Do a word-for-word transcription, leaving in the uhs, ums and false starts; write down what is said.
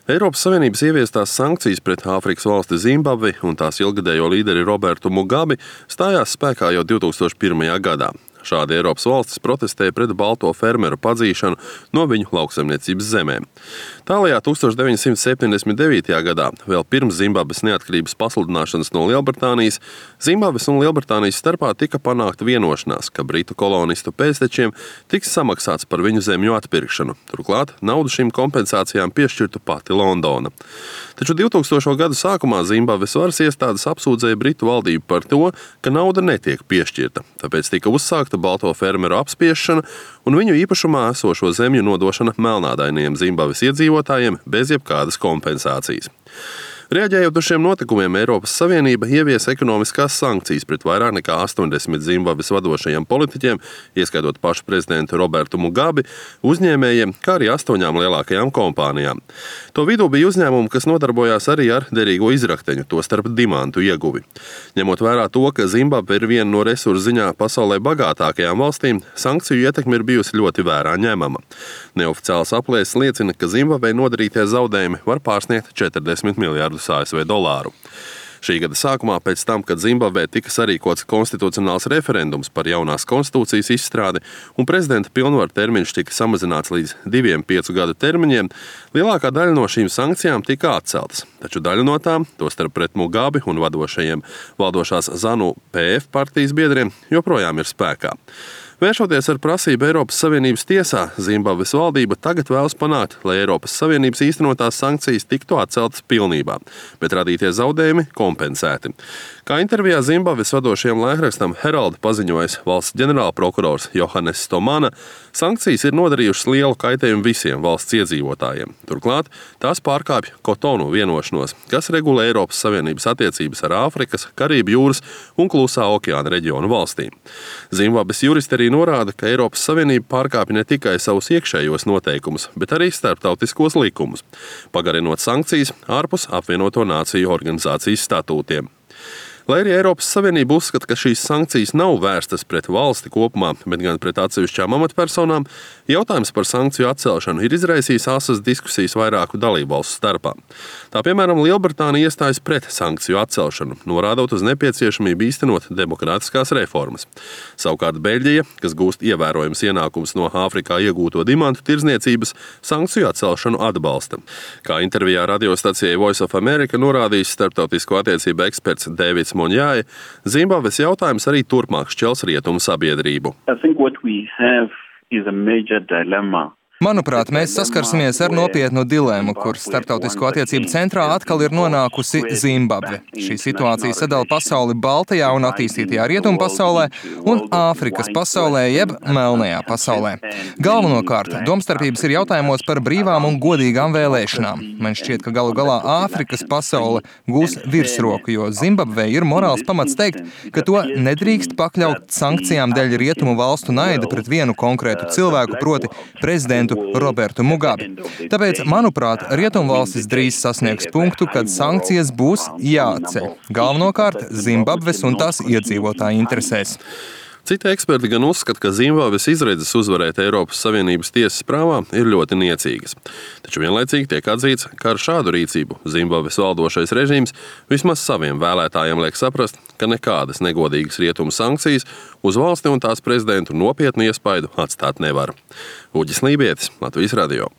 Eiropas Savienības ieviestās sankcijas pret Āfrikas valsti Zimbabvi un tās ilgadējo līderi Robertu Mugabi stājās spēkā jau divs tūkstoši pirmajā gadā. Šādi Eiropas valstis protestēja pret balto fermeru padzīšanu no viņu lauksaimniecības zemēm. Tālajā tūkstoš deviņsimt septiņdesmit devītajā gadā, vēl pirms Zimbabves neatkarības pasludināšanas no Lielbritānijas, Zimbabves un Lielbritānijas starpā tika panākta vienošanās, ka britu kolonistu pēctečiem tiks samaksāts par viņu zemju atpirkšanu. Turklāt naudu šīm kompensācijām piešķirtu pati Londona. Taču divtūkstošo gadu sākumā Zimbabves varas iestādes apsūdzēja britu valdību par to, ka nauda netiek piešķirta, tāpēc tika uzsākta balto fermeru apspiešana un viņu īpašumā esošo zemju nodošana melnādainiem Zimbabves iedzīvotājiem bez jebkādas kompensācijas. Reaģējot uz šiem notikumiem, Eiropas Savienība ieviesa ekonomiskās sankcijas pret vairāk nekā astoņdesmit Zimbabves vadošajiem politiķiem, ieskaitot pašu prezidentu Robertu Mugabi, uzņēmējiem, kā arī astoņām lielākajām kompānijām. To vidū bija uzņēmumi, kas nodarbojās arī ar derīgo izrakteņu, tostarp dimantu ieguvi. Ņemot vērā to, ka Zimbabve ir viena no resursu ziņā pasaulē bagātākajām valstīm, sankciju ietekme ir bijusi ļoti vērā ņemama. Neoficiāls aplēses liecina, ka Zimbabvei nodarītie zaudējumi var pārsniegt četrdesmit miljārdus A S V dolāru. Šī gada sākumā, pēc tam, kad Zimbabvē tika sarīkots konstitucionāls referendums par jaunās konstitūcijas izstrādi un prezidenta pilnvaru termiņš tika samazināts līdz diviem piecu gadu termiņiem, lielākā daļa no šīm sankcijām tika atceltas. Taču daļa no tām, tostarp pret Mugabi un vadošajiem valdošās ZANU P F partijas biedriem, joprojām ir spēkā. Vēršoties ar prasību Eiropas Savienības tiesā, Zimbabves valdība tagad vēlas panākt, lai Eiropas Savienības īstenotās sankcijas tiktu atceltas pilnībā, bet radītie zaudējumi kompensēti. Kā intervijā Zimbabves vadošajam laikrakstam Herald paziņojis valsts ģenerālprokurors Johannes Stomana, sankcijas ir nodarījušas lielu kaitējumu visiem valsts iedzīvotājiem. Turklāt tās pārkāpj Kotonu vienošanos, kas regulē Eiropas Savienības attiecības ar Āfrikas, Karību jūras un Klusā okeāna reģionu valstīm. Zimbabves juristi arī norāda, ka Eiropas Savienība pārkāpj ne tikai savus iekšējos noteikumus, bet arī starptautiskos likumus, pagarinot sankcijas ārpus apvienoto nāciju organizācijas statūtiem. Lai arī Eiropas Savienība uzskata, ka šīs sankcijas nav vērstas pret valsti kopumā, bet gan pret atsevišķām amatpersonām, jautājums par sankciju atcelšanu ir izraisījis asas diskusijas vairāku dalībvalstu starpā. Tā piemēram, Lielbritānija iestājas pret sankciju atcelšanu, norādot uz nepieciešamību īstenot demokrātiskās reformas. Savukārt Beļģija, kas gūst ievērojams ienākums no Āfrikā iegūto dimantu tirdzniecības, sankciju atcelšanu atbalsta. Kā intervijā radiostacijai Voice of America norādījis starptautisko attiecību eksperts Dēvids Monjāja, Zimbabves jautājums arī turpmāk šķels rietumu sabiedrību. Manuprāt, mēs saskarsimies ar nopietnu dilēmu, kur starptautisko attiecību centrā atkal ir nonākusi Zimbabve. Šī situācija sadala pasauli Baltajā un attīstītajā rietumu pasaulē un Āfrikas pasaulē jeb melnajā pasaulē. Galvenokārt, domstarpības ir jautājumos par brīvām un godīgām vēlēšanām. Man šķiet, ka galu galā Āfrikas pasaule gūs virsroku, jo Zimbabvei ir morāls pamats teikt, ka to nedrīkst pakļaut sankcijām dēļ rietumu valstu naida pret vienu konkrētu cilvēku, proti prezidentu Robertu Mugabi. Tāpēc, manuprāt, rietumvalstis drīz sasniegs punktu, kad sankcijas būs jāatceļ. Galvenokārt Zimbabves un tās iedzīvotāju interesēs. Citi eksperti gan uzskata, ka Zimbabves izredzes uzvarēt Eiropas Savienības tiesas prāvā ir ļoti niecīgas. Taču vienlaicīgi tiek atzīts, ka ar šādu rīcību Zimbabves valdošais režīms vismaz saviem vēlētājiem liek saprast, ka nekādas negodīgas rietumu sankcijas uz valsti un tās prezidentu nopietnu iespaidu atstāt nevar. Uģis Lībietis, Latvijas radio.